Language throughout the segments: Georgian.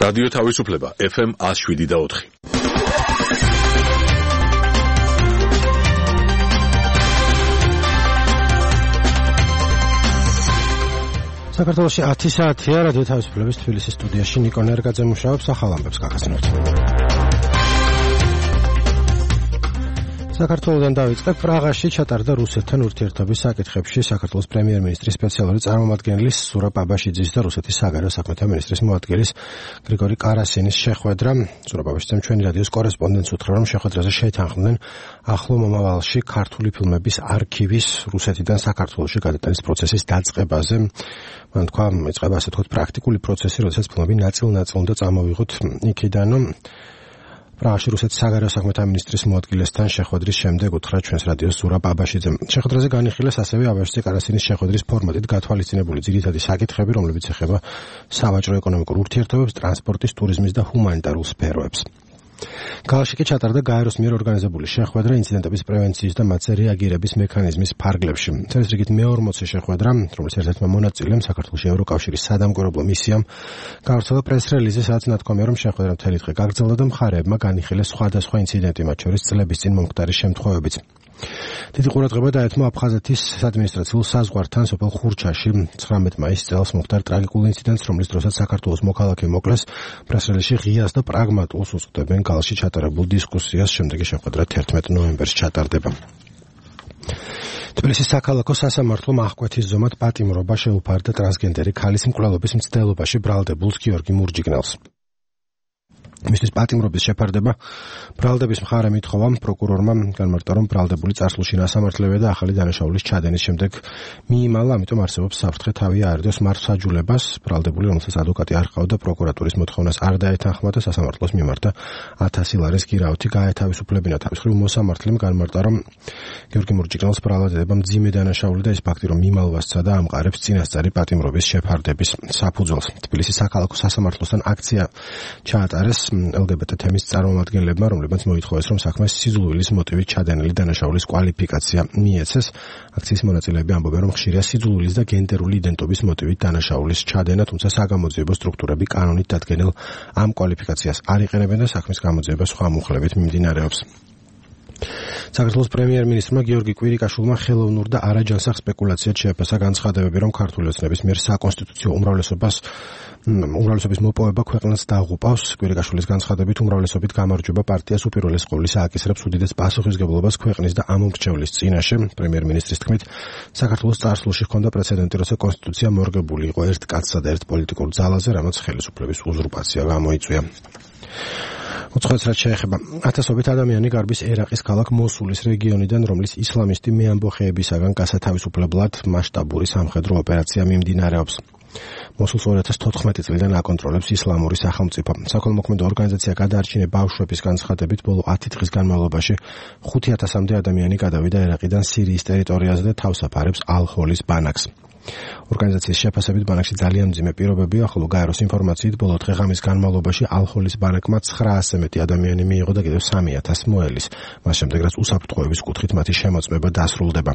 რადიო თავისუფლება FM 107.4. საქართველოში 10 საათია რადიო თავისუფლების თბილისის სტუდიაში ნიკო ნერგაძე მუშაობს ახალ ამბებს გაგაცნობთ. საქართველოდან დავიწყებ. პრაღაში ჩატარდა რუსეთთან ურთიერთობის საკითხებში საქართველოს პრემიერ-მინისტრის სპეციალური წარმომადგენლის ზურაბ აბაშიძის და რუსეთის საგარეო საქმეთა მინისტრის მოადგილის გრიგორი კარასინის შეხვედრა. ზურაბ აბაშიძემ ჩვენი რადიოს კორესპონდენტს უთხრა, რომ შეხვედრაზე შეეთანხმდნენ ახლო მომავალში ქართული ფილმების არქივის რუსეთიდან საქართველოში გადატანის პროცესის დაწყებაზე. მან თქვა, იწყება ასე თქვა პრაქტიკული პროცესი, როდესაც ფილმები ნაწილ-ნაწილ უნდა წამოვიღოთ იქიდან. პრაღაში რუსეთის საგარეო საქმეთა მინისტრის მოადგილესთან შეხვედრის შემდეგ უთხრა ჩვენს რადიოს ზურაბ აბაშიძემ. შეხვედრაზე განიხილეს ასევე აბაშიძე კარასინის შეხვედრის ფორმატით გათვალისწინებული ძირითადი საკითხები, რომლებიც ეხება სავაჭრო ეკონომიკურ ურთიერთობებს, ტრანსპორტის, ტურიზმის და ჰუმანიტარულ სფეროებს. ქალაქში კი ჩატარდა გაეროს მიერ ორგანიზებული შეხვედრა ინციდენტების პრევენციის და მათზე რეაგირების მექანიზმის ფარგლებში. ეს რიგით მე-40 შეხვედრა, რომლის ერთ-ერთმა მონაწილემ საქართველოს ევროკავშირის სადამკვირვებლო მისიამ გავრცელა პრეს-რელიზი, სადაც ნათქვამია, რომ შეხვედრა მთელი დღე გაგრძელდა და მხარეებმა განიხილეს სხვადასხვა ინციდენტი, მათ შორის წლების წინ მომხდარი შემთხვევებიც. დიდი ყურადღება დაეთმო აფხაზეთის საადმინისტრაციულ საზღვართან სოფელ ხურჩაში 19 მაისს წელს მომხდარ ტრაგიკულ ინციდენტს, რომლის დროსაც საქართველოს მოქალაქე მოკლეს. პრეს-რელიზში ღიას და პრაგმატულს უწოდებენ კალში ჩატარებულ დისკუსიას. შემდეგი შეხვედრა 11 ნოემბერს ჩატარდება. თბილისის საქალაქო სასამართლომ აღკვეთის ზომად პატიმრობა შეუფარდა ტრანსგენდერი ქალის მკვლელობის მცდელობაში ბრალდებულს გიორგი მურჯიგნელს. მისთვის პატიმრობის შეფარდება ბრალდების მხარე მითხოვა პროკურორმა განმარტა, რომ ბრალდებული წარსულში ნასამართლეა და ახალი დანაშაულის ჩადენის შემდეგ მიიმალა, ამიტომ არსებობს საფრთხე თავი აერდოს მართლმსაჯულებას. ბრალდებული, რომელსაც ადვოკატი არ ჰყავდა, პროკურატურის მოთხოვნას არ დაეთანხმა და სასამართლოს მიმართა 1000 ლარის გირაოთი გაეთავისუფლებინა. თავის მხრივ მოსამართლემ განმარტა, რომ გიორგი მურჯიგნელს ბრალდება მძიმე დანაშაული და ის ფაქტი, რომ მიმალვასცა და ამყარებს წინასწარი პატიმრობის შეფარდების საფუძველს. თბილისის საქალაქო სასამართლოსთან აქცია ჩაატარეს LGBT თემის წარმომადგენლებმა, რომლებმაც მოითხოვეს, რომ საქმეს სიძულვილის მოტივით ჩადენილი დანაშაულის კვალიფიკაცია მიეცეს. აქციის მონაწილეები ამბობენ, რომ ხშირია სიძულვილის და გენდერული იდენტობის მოტივით დანაშაულის ჩადენა, თუმცა საგამოძიებო სტრუქტურები კანონით დადგენილ ამ კვალიფიკაციას არ იყენებენ და საქმის გამოძიება სხვა მუხლებით მიმდინარეობს. საქართველოს პრემიერ-მინისტრმა გიორგი კვირიკაშვილმა ხელოვნურ და არაჯანსაღ სპეკულაციად შეაფასა განცხადებები, რომ ქართული ოცნების მიერ საკონსტიტუციო უმრავლესობის მოპოვება ქვეყნას დაღუპავს. კვირიკაშვილის განცხადებით უმრავლესობით გამარჯვება პარტიას უპირველეს ყოვლისა აკისრებს უდიდეს პასუხისგებლობას ქვეყნის და ამომრჩევლის წინაშე. პრემიერ-მინისტრის თქმით, საქართველოს წარსულში ჰქონდა პრეცედენტი, როცა კონსტიტუცია მორგებული იყო ერთ კაცსა და ერთ პოლიტიკურ ძალაზე, რამაც ხელისუფლების უზურპაცია გამოიწვია. უცხოეთს რაც შეეხება, ათასობით ადამიანი გარბის ერაყის ქალაქ მოსულის რეგიონიდან, რომლის ისლამისტი მეამბოხეებისაგან გასათავისუფლებლად მასშტაბური სამხედრო ოპერაცია მიმდინარეობს. მოსულს 2014 წლიდან აკონტროლებს ისლამური სახელმწიფო. საქველმოქმედო ორგანიზაცია გადაარჩინე ბავშვების განცხადებით, ბოლო 10 დღის განმავლობაში 5000-მდე ადამიანი გადავიდა ერაყიდან სირიის ტერიტორიაზე და თავს აფარებს ალ-ჰოლის ბანაკს. ორგანიზაციის შეფასებით ბანაკში ძალიან მძიმე პირობებია, ხოლო გაეროს ინფორმაციით ბოლო დღე-ღამის განმავლობაში ალ-ჰოლის ბანაკმა 900-ზე მეტი ადამიანი მიიღო და კიდევ 3000 მოელის. მას შემდეგ რაც უსაფრთხოების კუთხით მათი შემოწმება დასრულდება.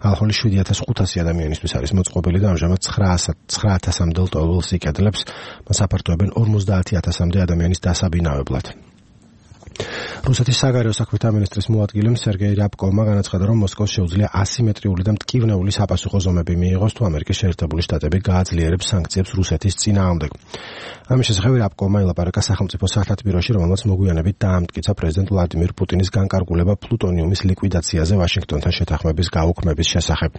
ალ-ჰოლის 7500 ადამიანისთვის არის მოწყობილი და ამჟამად 9000-მდე ლტოლვილს იკედლებს. მას აფართოებენ 50000-მდე ადამიანის დასაბინავებლად. რუსეთის საგარეო საქმეთა მინისტრის მოადგილემ სერგეი რაბკოვმა განაცხადა, რომ მოსკოვს შეუძლია ასიმეტრიული და მტკივნეული საპასუხო ზომები მიიღოს, თუ ამერიკის შეერთებული შტატები გააძლიერებს სანქციებს რუსეთის წინააღმდეგ. ამის შესახებ რაბკოვმა ელაპარაკა სახელმწიფო სათათბიროში, რომელმაც მოგვიანებით დაამტკიცა პრეზიდენტ ვლადიმირ პუტინის განკარგულება პლუტონიუმის ლიკვიდაციაზე ვაშინგტონთან შეთანხმების გაუქმების შესახებ.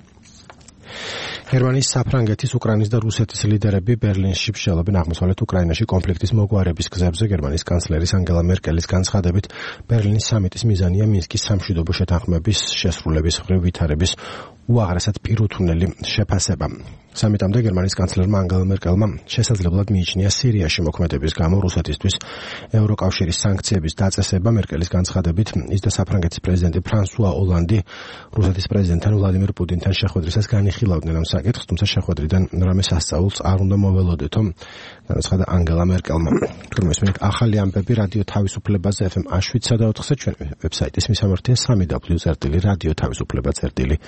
გერმანიის, საფრანგეთის, უკრაინის და რუსეთის ლიდერები ბერლინში მსჯელობენ აღმოსავლეთ უკრაინაში კონფლიქტის მოგვარების გზებზე. გერმანიის კანცლერის ანგელა მერკელის განცხადებით, ბერლინის სამიტის მიზანია მინსკის სამშვიდობო შეთანხმების შესრულების მხრივ ვითარების უაღრესად პირუთვნელი შეფასება. სამიტამდე გერმანიის კანცლერმა ანგელა მერკელმა შესაძლებლად მიიჩნია სირიაში მოქმედების გამო რუსეთისთვის ევროკავშირის სანქციების დაწესება. მერკელის განცხადებით, ის და საფრანგეთის პრეზიდენტი ფრანსუა ოლანდი რუსეთის პრეზიდენტთან ვლადიმირ პუტინთან შეხვედრისას განიხილავდნენ ამ საკითხს, თუმცა შეხვედრიდან რამე სასწაულს არ უნდა მოველოდეთო, განაცხადა ანგელა მერკელმა. თუმცა ახალი ამბები რადიო თავისუფლებაზე FM 107.4-ზე, ჩვენი ვებსაიტის მისამართია www.radioთავისუფლება.წერტილი